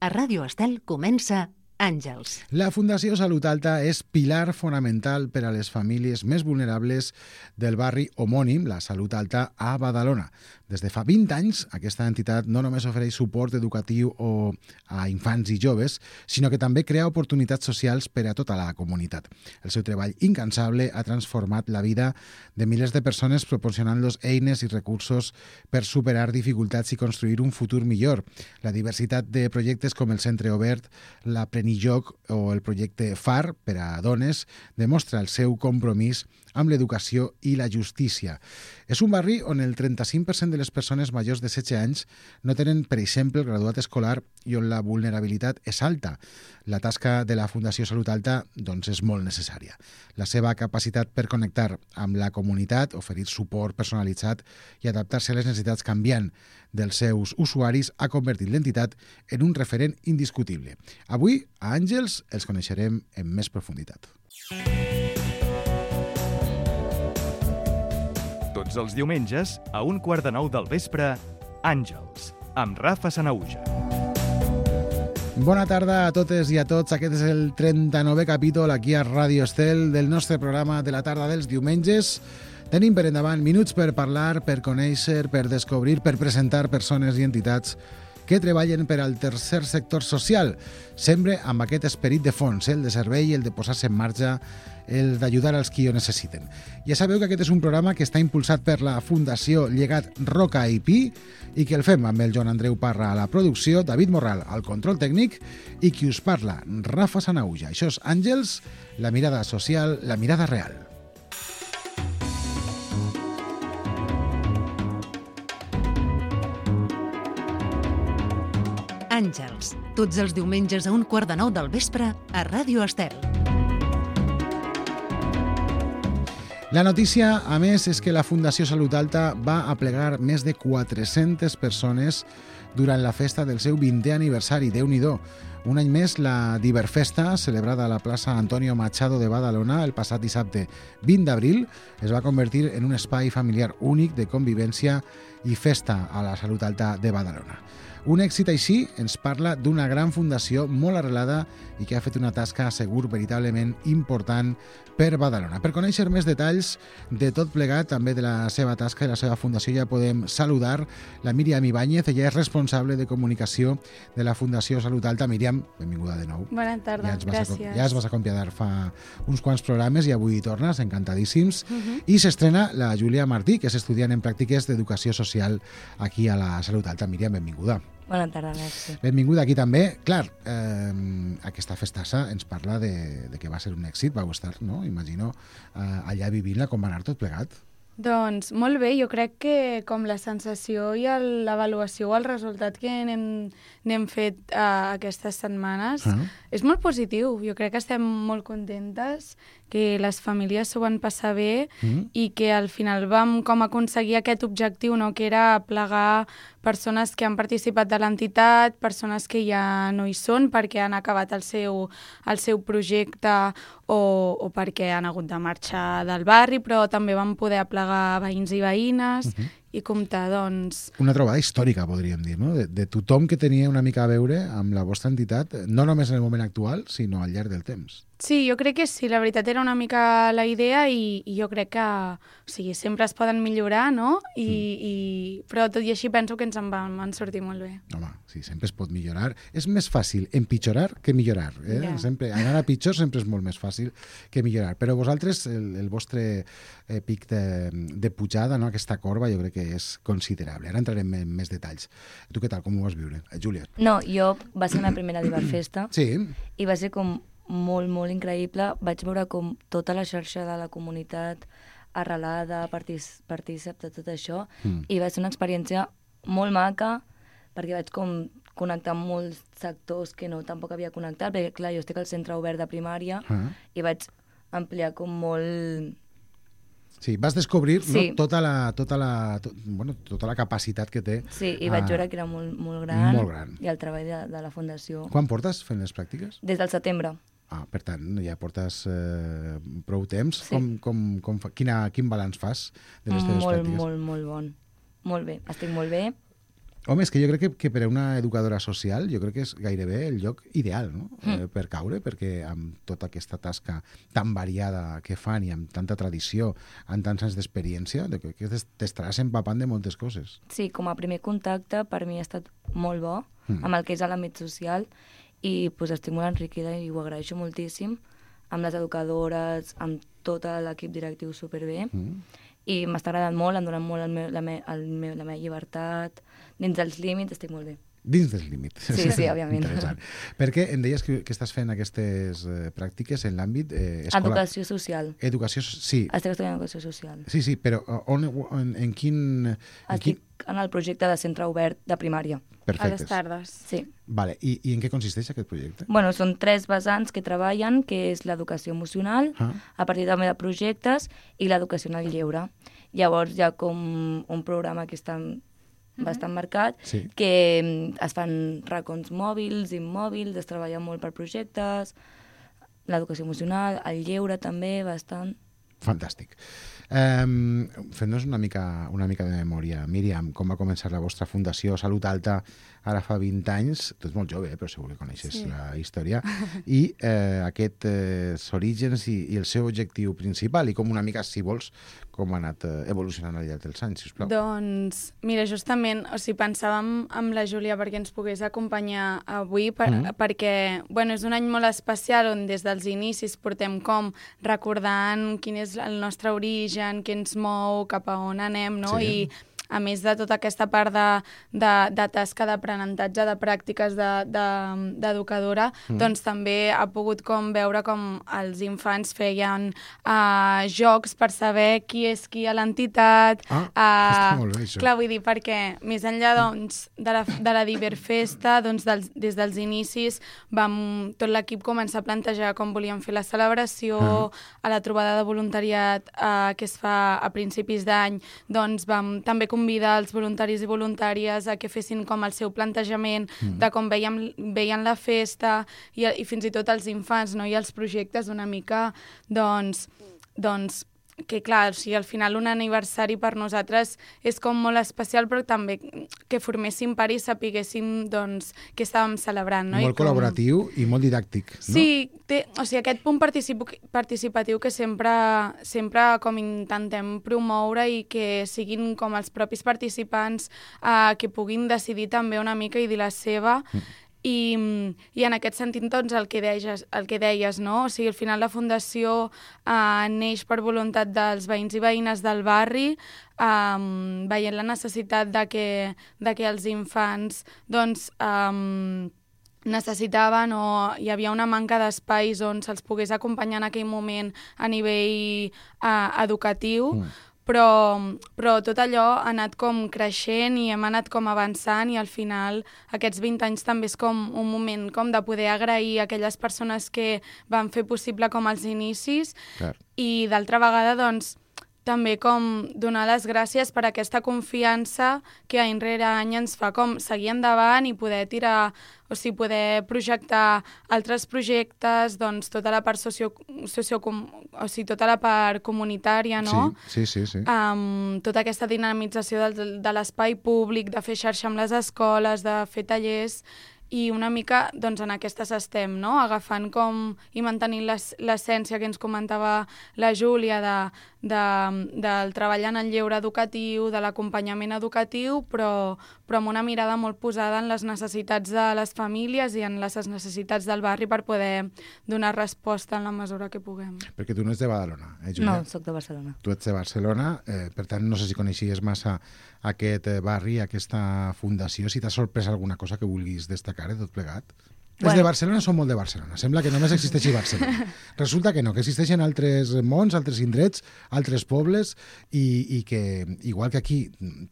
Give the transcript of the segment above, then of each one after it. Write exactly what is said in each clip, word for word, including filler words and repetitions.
A Ràdio Estel comença Àngels. La Fundació Salut Alta és pilar fonamental per a les famílies més vulnerables del barri homònim, la Salut Alta, a Badalona. Des de fa vint anys, aquesta entitat no només ofereix suport educatiu o a infants i joves, sinó que també crea oportunitats socials per a tota la comunitat. El seu treball incansable ha transformat la vida de milers de persones proporcionant-los eines i recursos per superar dificultats i construir un futur millor. La diversitat de projectes com el Centre Obert, l'Aprenilloc o el projecte F A R per a dones demostra el seu compromís amb l'educació i la justícia. És un barri on el trenta-cinc per cent de les persones majors de setze anys no tenen, per exemple, el graduat escolar i on la vulnerabilitat és alta. La tasca de la Fundació Salut Alta doncs, és molt necessària. La seva capacitat per connectar amb la comunitat, oferir suport personalitzat i adaptar-se a les necessitats canviant dels seus usuaris ha convertit l'entitat en un referent indiscutible. Avui, a Àngels, els coneixerem en més profunditat. Tots els diumenges, a un quart de nou del vespre, Àngels, amb Rafa Sanauja. Bona tarda a totes i a tots. Aquest és el trenta-novè capítol aquí a Ràdio Estel del nostre programa de la tarda dels diumenges. Tenim per endavant minuts per parlar, per conèixer, per descobrir, per presentar persones i entitats que treballen per al tercer sector social, sempre amb aquest esperit de fons, el de servei, el de posar-se en marxa, el d'ajudar als qui ho necessiten. Ja sabeu que aquest és un programa que està impulsat per la Fundació Llegat Roca i Pi i que el fem amb el Joan Andreu Parra a la producció, David Morral al control tècnic i qui us parla, Rafa Sanauja. Això és Àngels, la mirada social, la mirada real. Àngels, tots els diumenges a un quart de nou del vespre a Ràdio Estel. La notícia, a més, és que la Fundació Salut Alta va aplegar més de quatre-centes persones durant la festa del seu vintè aniversari. Déu-n'hi-do. Un any més, la Diverfesta, celebrada a la plaça Antonio Machado de Badalona el passat dissabte vint d'abril, es va convertir en un espai familiar únic de convivència i festa a la Salut Alta de Badalona. Un èxit així ens parla d'una gran fundació molt arrelada i que ha fet una tasca segur veritablement important per Badalona. Per conèixer més detalls de tot plegat, també de la seva tasca i la seva fundació, ja podem saludar la Míriam Ibáñez. Ella és responsable de comunicació de la Fundació Salut Alta. Míriam, benvinguda de nou. Bona tarda, ja gràcies. Ja es vas acomiadar fa uns quants programes i avui tornes, encantadíssims. Uh-huh. I s'estrena la Júlia Martí, que és estudiant en pràctiques d'educació social aquí a la Salut Alta. Míriam, benvinguda. Bona tarda, merci. Benvinguda aquí també. Clar, eh, aquesta festassa ens parla de, de que va ser un èxit, vau estar, no? Imagino, eh, allà vivint-la, com va anar tot plegat? Doncs molt bé, jo crec que com la sensació i el, l'avaluació o el resultat que n'hem, n'hem fet uh, aquestes setmanes uh-huh. és molt positiu. Jo crec que estem molt contentes, que les famílies s'ho van passar bé uh-huh. i que al final vam com aconseguir aquest objectiu, no? Que era plegar persones que han participat de l'entitat, persones que ja no hi són perquè han acabat el seu, el seu projecte o, o perquè han hagut de marxar del barri, però també vam poder aplegar veïns i veïnes uh-huh. i comptar, doncs... Una trobada històrica, podríem dir, no? De, de tothom que tenia una mica a veure amb la vostra entitat, no només en el moment actual, sinó al llarg del temps. Sí, jo crec que sí, la veritat era una mica la idea i, i jo crec que o sigui, sempre es poden millorar, no? I, mm. i, però tot i així penso que ens en van, van sortir molt bé. Home, sí, sempre es pot millorar. És més fàcil empitjorar que millorar. Eh? Yeah. Sempre, anar a pitjor sempre és molt més fàcil que millorar. Però vosaltres, el, el vostre eh, pic de, de pujada, no? Aquesta corba, jo crec que és considerable. Ara entrarem en més detalls. Tu què tal, com ho vas viure? Eh, Júlia? No, jo va ser la primera Diverfesta sí. i va ser com molt, molt increïble. Vaig veure com tota la xarxa de la comunitat arrelada, partic- partícip de tot això, mm. i va ser una experiència molt maca, perquè vaig com connectar amb molts sectors que no tampoc havia connectat, perquè clar, jo estic al centre obert de primària ah. i vaig ampliar com molt... Sí, vas descobrir sí. no, tota, la, tota, la, to, bueno, tota la capacitat que té. Sí, i vaig veure que era molt, molt gran, molt gran. I el treball de, de la Fundació. Quan portes fent les pràctiques? Des del setembre. Ah, per tant, ja portes eh, prou temps. Sí. Com, com, com fa, quina, quin balanç fas de les teves molt, pràctiques? Molt, molt bon. Molt bé. Estic molt bé. Home, és que jo crec que, que per a una educadora social jo crec que és gairebé el lloc ideal, no? Mm. Eh, per caure, perquè amb tota aquesta tasca tan variada que fan i amb tanta tradició, amb tants anys d'experiència, de que t'estaràs empapant de moltes coses. Sí, com a primer contacte per mi ha estat molt bo mm. amb el que és a l'àmbit social i pues, estic molt enriquida i ho agraeixo moltíssim amb les educadores, amb tot l'equip directiu superbé. Mm. I m'està agradant molt, em donen molt el meu, la, me, el meu, la meva llibertat, dins dels límits estic molt bé. Dins dels límits. Sí, sí, òbviament. Interessant. Perquè em deies que, que estàs fent aquestes eh, pràctiques en l'àmbit eh, escolar. Educació social. Educació, sí. Estic estudiant educació social. Sí, sí, però on, on, en quin... En Estic quin... en el projecte de centre obert de primària. Perfectes. A les tardes. Sí. Vale. I, I en què consisteix aquest projecte? Bueno, són tres vessants que treballen, que és l'educació emocional, ah. a partir també de projectes, i l'educació en el lleure. Llavors hi ha com un programa que està bastant marcat, sí. que es fan racons mòbils, immòbils, es treballa molt per projectes, l'educació emocional, el lleure també, bastant. Fantàstic. Um, Fent-nos una mica, una mica de memòria. Míriam, com va començar la vostra fundació Salut Alta ara fa vint anys? Tu ets molt jove, eh, però segur que coneixes sí. la història. I eh, aquests eh, orígens i, i el seu objectiu principal i com una mica, si vols, com ha anat eh, evolucionant al llarg dels anys, sisplau. Doncs, mira, justament, o sigui, pensàvem amb la Júlia perquè ens pogués acompanyar avui, per, mm. perquè, bueno, és un any molt especial on des dels inicis portem com recordant quin és el nostre origen, què ens mou, cap a on anem, no? Sí. I a més de tota aquesta part de, de, de tasca d'aprenentatge, de pràctiques d'educadora, de, de, mm. doncs també ha pogut com veure com els infants feien uh, jocs per saber qui és qui a l'entitat. Ah, uh, està molt bé, això. Clar, vull dir, perquè més enllà doncs, de, la, de la Diverfesta, doncs, dels, des dels inicis vam, tot l'equip començar a plantejar com volíem fer la celebració, uh. a la trobada de voluntariat uh, que es fa a principis d'any, doncs vam també convidar els voluntaris i voluntàries a que fessin com el seu plantejament mm. de com veiem, veien la festa i, i fins i tot els infants, no? I els projectes una mica, doncs, doncs que clar, o sigui, al final un aniversari per nosaltres és com molt especial, però també que forméssim part i sapiguéssim doncs, què estàvem celebrant. No? Molt I com... col·laboratiu i molt didàctic. No? Sí, té, o sigui, aquest punt particip participatiu que sempre, sempre com intentem promoure i que siguin com els propis participants eh, que puguin decidir també una mica i dir la seva. Mm. I, i en aquest sentit, doncs, el que deies, el que deies, no? O sigui, al final la Fundació eh, neix per voluntat dels veïns i veïnes del barri, eh, veient la necessitat de que, de que els infants, doncs, eh, necessitaven o hi havia una manca d'espais on se'ls pogués acompanyar en aquell moment a nivell eh, educatiu, mm. Però, però tot allò ha anat com creixent i hem anat com avançant i al final aquests vint anys també és com un moment com de poder agrair a aquelles persones que van fer possible com els inicis. Clar. I d'altra vegada doncs també com donar les gràcies per aquesta confiança que any rere any ens fa com seguir endavant i poder tirar, o sigui, poder projectar altres projectes, doncs tota la part socio, socio o sigui, tota la part comunitària, no? Sí, sí, sí. sí. Um, tota aquesta dinamització de, de l'espai públic, de fer xarxa amb les escoles, de fer tallers, i una mica doncs, en aquestes estem, no? Agafant com i mantenint l'essència que ens comentava la Júlia de, de, del treball en el lleure educatiu, de l'acompanyament educatiu, però, però amb una mirada molt posada en les necessitats de les famílies i en les necessitats del barri per poder donar resposta en la mesura que puguem. Perquè tu no ets de Badalona, eh, Júlia? No, soc de Barcelona. Tu ets de Barcelona, eh, per tant no sé si coneixies massa aquest barri, aquesta fundació, si t'ha sorprès alguna cosa que vulguis destacar de tot plegat. Bueno. Els de Barcelona són molt de Barcelona. Sembla que només existeixi Barcelona. Resulta que no, que existeixen altres mons, altres indrets, altres pobles i, i que, igual que aquí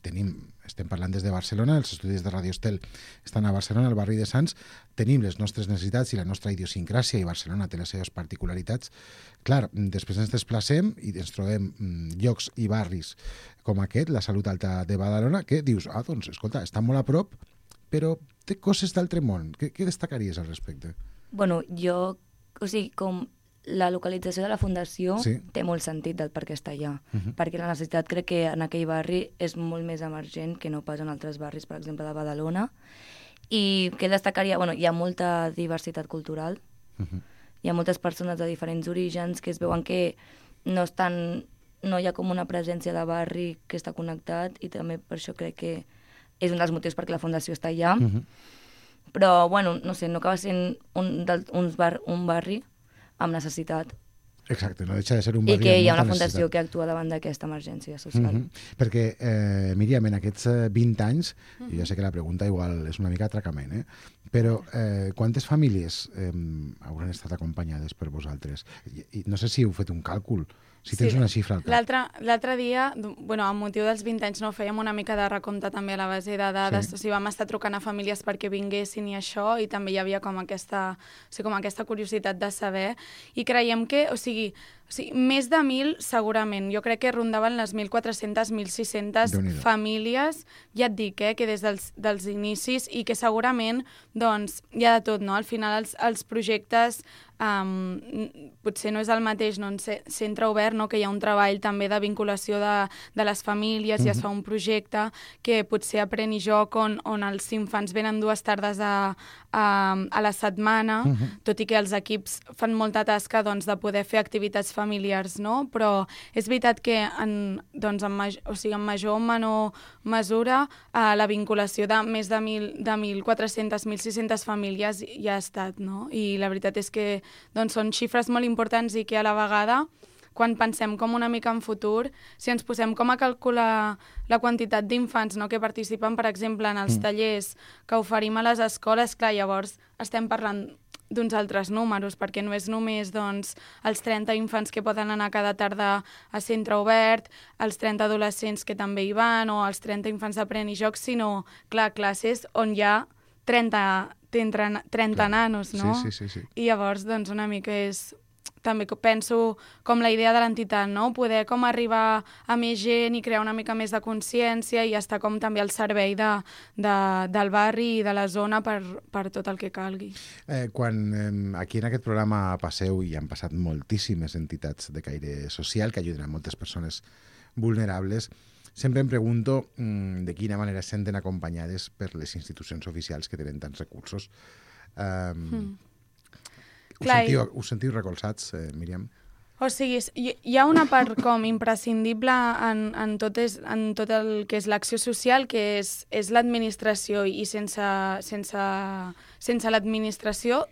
tenim, estem parlant des de Barcelona, els estudis de Radio Estel estan a Barcelona, al barri de Sants, tenim les nostres necessitats i la nostra idiosincràsia i Barcelona té les seves particularitats. Clar, després ens desplacem i ens trobem llocs i barris com aquest, la Salut Alta de Badalona, que dius, ah, doncs, escolta, està molt a prop, però té coses d'altre món. Què, què destacaries al respecte? Bueno, jo, o sigui, com la localització de la fundació sí. té molt sentit del per què està allà, Uh -huh. perquè la necessitat crec que en aquell barri és molt més emergent que no pas en altres barris, per exemple, de Badalona. I què destacaria? Bueno, hi ha molta diversitat cultural, Uh -huh. hi ha moltes persones de diferents orígens que es veuen que no estan, no hi ha com una presència de barri que està connectat, i també per això crec que és un dels motius perquè la fundació està allà. Uh -huh. Però, bueno, no sé, no acaba sent un, del, uns bar, un barri amb necessitat. Exacte, no deixa de ser un I barri que amb hi ha molta una fundació necessitat. que actua davant d'aquesta emergència social. Uh -huh. Perquè, eh, Míriam, en aquests eh, vint anys, uh -huh. jo sé que la pregunta igual és una mica atracament, eh? però eh, quantes famílies eh, hauran estat acompanyades per vosaltres? I, i no sé si heu fet un càlcul, si tens Sí, una xifra al cap. L'altre l'altre dia, bueno, amb motiu dels vint anys, no, fèiem una mica de recompte també a la base de dades, Sí. o sigui, vam estar trucant a famílies perquè vinguessin i això, i també hi havia com aquesta, o sigui, com aquesta curiositat de saber, i creiem que, o sigui, o sigui, més de mil segurament, jo crec que rondaven les mil quatre-centes, mil sis-centes Déu-n'hi-do. famílies, ja et dic, eh, que des dels, dels inicis, i que segurament, doncs, hi ha de tot, no? Al final els, els projectes Um, potser no és el mateix, no? En centre obert, no? Que hi ha un treball també de vinculació de, de les famílies, uh-huh. i es fa un projecte que potser Aprèn i Joc, on, on els infants venen dues tardes a, a, a la setmana, uh-huh. tot i que els equips fan molta tasca, doncs, de poder fer activitats familiars, no? Però és veritat que en, doncs, en, major, o sigui, en major o menor mesura uh, la vinculació de més de mil quatre-centes, mil sis-centes famílies ja ha estat, no? I la veritat és que doncs són xifres molt importants i que a la vegada, quan pensem com una mica en futur, si ens posem com a calcular la quantitat d'infants, no, que participen, per exemple, en els mm. tallers que oferim a les escoles, clar, llavors estem parlant d'uns altres números, perquè no és només doncs, els trenta infants que poden anar cada tarda a centre obert, els trenta adolescents que també hi van, o els trenta infants d'Aprèn i Joc, sinó, clar, classes on hi ha trenta trenta Clar. nanos, no? Sí, sí, sí, sí. I llavors, doncs, una mica és... També penso com la idea de l'entitat, no? Poder com arribar a més gent i crear una mica més de consciència i estar com també al servei de, de, del barri i de la zona per, per tot el que calgui. Eh, quan eh, aquí en aquest programa passeu, i han passat moltíssimes entitats de caire social que ajuden a moltes persones vulnerables, sempre em pregunto mmm, de quina manera es senten acompanyades per les institucions oficials que tenen tants recursos. Um, mm. us, Clar, sentiu, us sentiu recolzats, eh, Míriam? O sigui, hi, hi ha una part com imprescindible en, en, tot, és, en tot el que és l'acció social, que és, és l'administració, i sense, sense, sense l'administració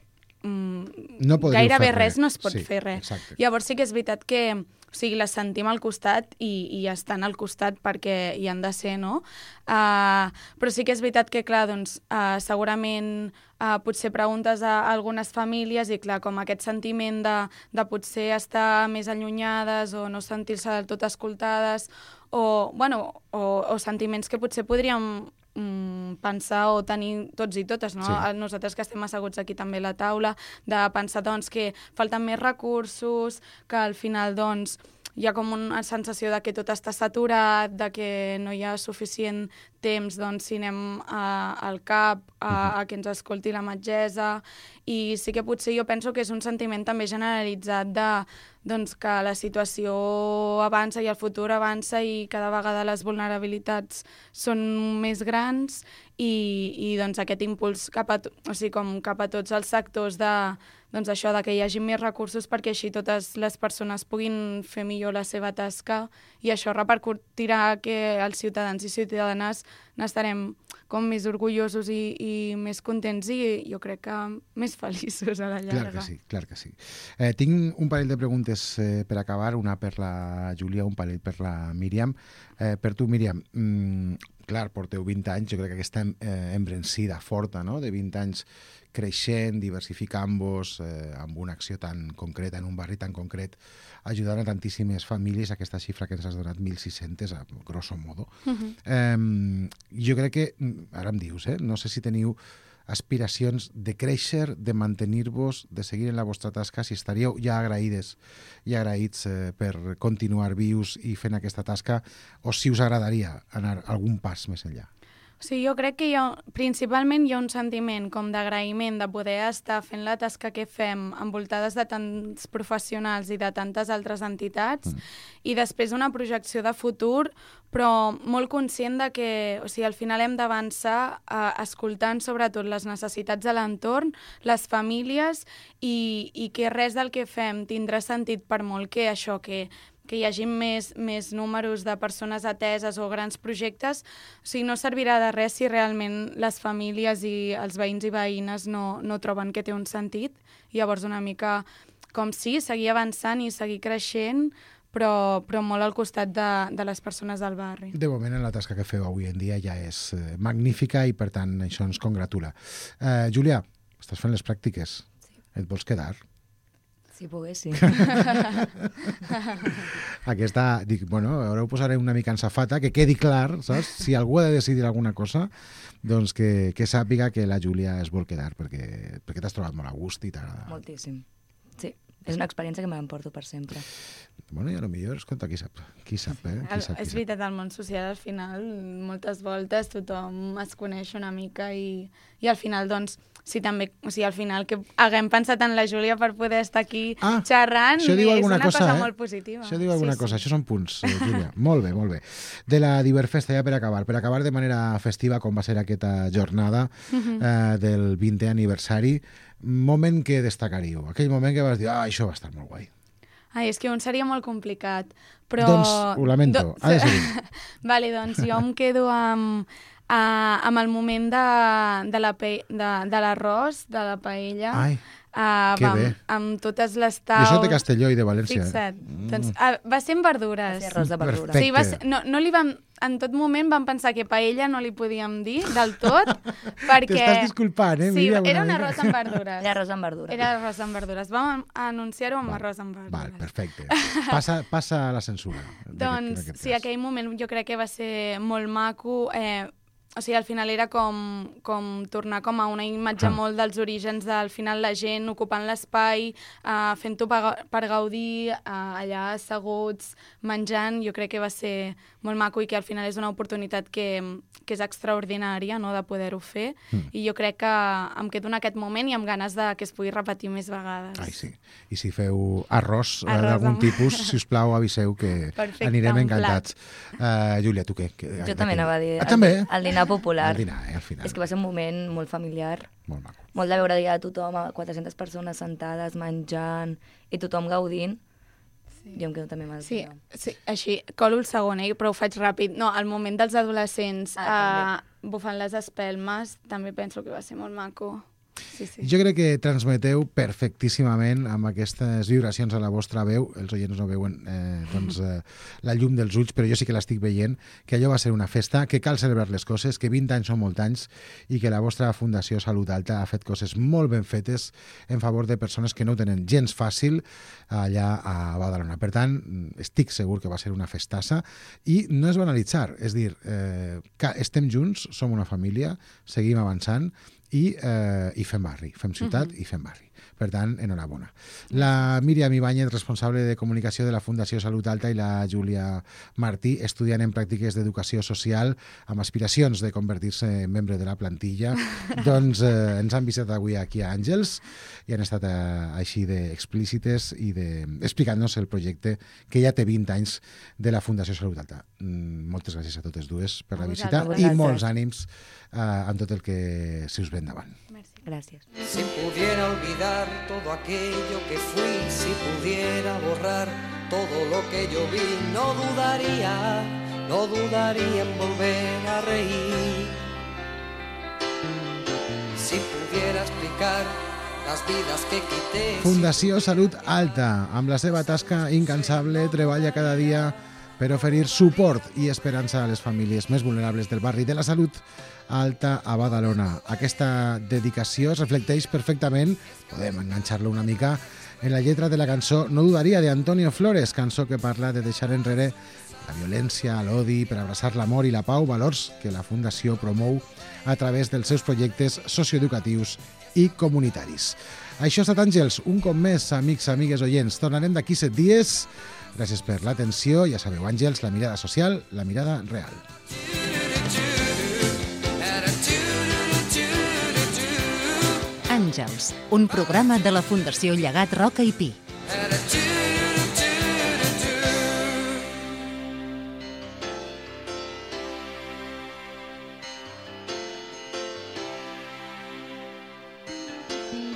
mmm, no gairebé res. res no es pot sí, fer res. Exacte. Llavors sí que és veritat que o sigui, les sentim al costat i, i estan al costat perquè hi han de ser, no? Uh, però sí que és veritat que, clar, doncs, uh, segurament uh, potser preguntes a algunes famílies i, clar, com aquest sentiment de, de potser estar més allunyades o no sentir-se del tot escoltades o, bueno, o, o sentiments que potser podríem mm, pensar o tenir tots i totes, no? Sí. Nosaltres que estem asseguts aquí també a la taula, de pensar doncs, que falten més recursos, que al final doncs, hi ha com una sensació de que tot està saturat, de que no hi ha suficient temps doncs, si anem a, al CAP a, a que ens escolti la metgessa, i sí que potser jo penso que és un sentiment també generalitzat de doncs, que la situació avança i el futur avança i cada vegada les vulnerabilitats són més grans i, i doncs, aquest impuls cap a, o sigui, com cap a tots els sectors de, doncs, això, de que hi hagi més recursos perquè així totes les persones puguin fer millor la seva tasca i això repercutirà que els ciutadans i ciutadanes n'estarem com més orgullosos i, i més contents i jo crec que més feliços a la llarga. Clar que sí, clar que sí. Eh, tinc un parell de preguntes eh, per acabar, una per la Júlia, un parell per la Míriam. Eh, per tu, Míriam, mm, clar, porteu vint anys, jo crec que aquesta eh, embrencida forta, no?, de vint anys creixent, diversificant-vos, eh, amb una acció tan concreta, en un barri tan concret, ajudant a tantíssimes famílies, aquesta xifra que ens has donat, mil sis-centes, a grosso modo. Uh-huh. eh, jo crec que, ara em dius, eh, no sé si teniu aspiracions de créixer, de mantenir-vos, de seguir en la vostra tasca, si estaríeu ja agraïdes i agraïts eh, per continuar vius i fent aquesta tasca, o si us agradaria anar algun pas més enllà. Sí, jo crec que hi ha, principalment hi ha un sentiment com d'agraïment de poder estar fent la tasca que fem envoltades de tants professionals i de tantes altres entitats mm. i després una projecció de futur, però molt conscient de que o sigui, al final hem d'avançar eh, escoltant sobretot les necessitats de l'entorn, les famílies i, i que res del que fem tindrà sentit per molt que això, que que hi hagi més, més números de persones ateses o grans projectes, o sigui, no servirà de res si realment les famílies i els veïns i veïnes no, no troben que té un sentit. I llavors una mica com sí, seguir avançant i seguir creixent, però, però molt al costat de, de les persones del barri. De moment, la tasca que feu avui en dia ja és eh, magnífica i, per tant, això ens congratula. Eh, Júlia, estàs fent les pràctiques. Sí. Et vols quedar? Si pogués, sí. Aquesta, dic, bueno, ara ho posaré una mica en safata, que quedi clar, saps? Si algú ha de decidir alguna cosa, doncs que, que sàpiga que la Júlia es vol quedar, perquè, perquè t'has trobat molt a gust i t'agrada. Moltíssim. Sí, és una experiència que m'emporto per sempre. Bueno, i a lo millor, escolta, qui sap, qui sap, eh? Qui sap, qui és veritat, al món social, al final, moltes voltes tothom es coneix una mica i, i al final, doncs, sí, també, o sigui, al final que haguem pensat en la Júlia per poder estar aquí ah, xerrant és una cosa, cosa eh? molt positiva. Això diu alguna sí, cosa, sí. Això són punts, eh, Júlia. Molt bé, molt bé. De la Diverfesta, ja per acabar, per acabar de manera festiva, com va ser aquesta jornada uh-huh. eh, del vintè aniversari, moment que destacaríeu, aquell moment que vas dir, ah, això va estar molt guai. Ai, és que un seria molt complicat, però... Doncs ho lamento, do... ha de ser. Vale, doncs jo em quedo amb... Uh, amb el moment de, de la pe... de, de l'arròs, de la paella. Ai, uh, que bé. Amb, amb totes les taules. Jo soc de Castelló i de València. Fixa't. Mm. Doncs, uh, va ser amb verdures. Va ser arròs de verdures. Perfecte. Sí, va ser, no, no li vam, en tot moment vam pensar que paella no li podíem dir del tot, perquè... T'estàs disculpant, eh? Sí, Mira, era un mica. arròs amb verdures. Era arròs amb verdures. Era arròs amb verdures. Vam anunciar-ho amb Val, arròs amb verdures. Val, perfecte. Passa, passa a la censura. Doncs sí, aquell moment jo crec que va ser molt maco. Eh, o sigui, al final era com, com tornar com a una imatge ah. molt dels orígens del final la gent ocupant l'espai, eh, fent-ho per, per gaudir, eh, allà asseguts, menjant. Jo crec que va ser molt maco i que al final és una oportunitat que, que és extraordinària, no?, de poder-ho fer. Mm. I jo crec que em quedo en aquest moment i amb ganes de que es pugui repetir més vegades. Ai, sí. I si feu arròs, arròs d'algun amb... tipus, si us plau, aviseu que Perfecte, anirem encantats. Uh, Júlia, tu què? Que, jo també anava a dir. Ah, també? El dinar popular. El dinar, eh, al final. És que va ser un moment molt familiar. Molt maco. Molt de veure ja tothom, quatre-centes persones sentades, menjant, i tothom gaudint. Sí. Jo em quedo també amb el sí, dinar. sí, així, colo el segon, eh, però ho faig ràpid. No, el moment dels adolescents ah, uh, bufant les espelmes, també penso que va ser molt maco. Sí, sí. Jo crec que transmeteu perfectíssimament amb aquestes vibracions a la vostra veu, els oients no veuen eh, doncs, eh, la llum dels ulls, però jo sí que l'estic veient, que allò va ser una festa, que cal celebrar les coses, que vint anys són molts anys i que la vostra Fundació Salut Alta ha fet coses molt ben fetes en favor de persones que no ho tenen gens fàcil allà a Badalona. Per tant, estic segur que va ser una festassa i no és banalitzar, és dir, eh, que estem junts, som una família, seguim avançant i, eh, i fem barri, fem ciutat uh-huh. i fem barri. Per tant, enhorabona. La Míriam Ibáñez, responsable de comunicació de la Fundació Salut Alta, i la Júlia Martí, estudiant en pràctiques d'educació social amb aspiracions de convertir-se en membre de la plantilla, doncs eh, ens han visitat avui aquí a Àngels i han estat eh, així d'explícites i de... explicant-nos el projecte que ja té vint anys de la Fundació Salut Alta. Mm, moltes gràcies a totes dues per la visita i molts ànims eh, en tot el que se us ve endavant. Merci. Gràcies. Si pudiera olvidar todo aquello que fui, si pudiera borrar todo lo que yo vi, no dudaría, no dudaría en volver a reír. Si pudiera explicar las vidas que quité... Fundació Salut Alta, amb la seva tasca incansable, treballa cada dia per oferir suport i esperança a les famílies més vulnerables del barri de la Salut Alta a Badalona. Aquesta dedicació es reflecteix perfectament, podem enganxar-lo una mica, en la lletra de la cançó No dudaria, de Antonio Flores, cançó que parla de deixar enrere la violència, l'odi, per abraçar l'amor i la pau, valors que la Fundació promou a través dels seus projectes socioeducatius i comunitaris. Això ha estat Àngels, un cop més, amics, amigues, oients. Tornarem d'aquí set dies. Gràcies per l'atenció. Ja sabeu, Àngels, la mirada social, la mirada real. Àngels, un programa de la Fundació Llegat Roca i Pi.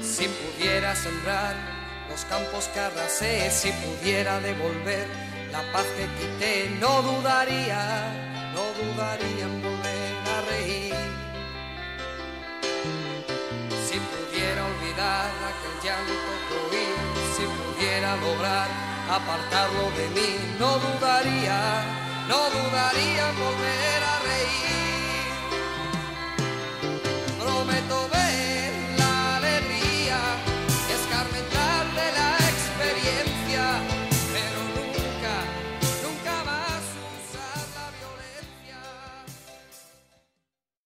Si pudiera sembrar los campos que arrasé, si pudiera devolver la paz que quité, no dudaría, no dudaría en volver a reír. Si pudiera olvidar aquel llanto que oí, si pudiera lograr apartarlo de mí, no dudaría, no dudaría en volver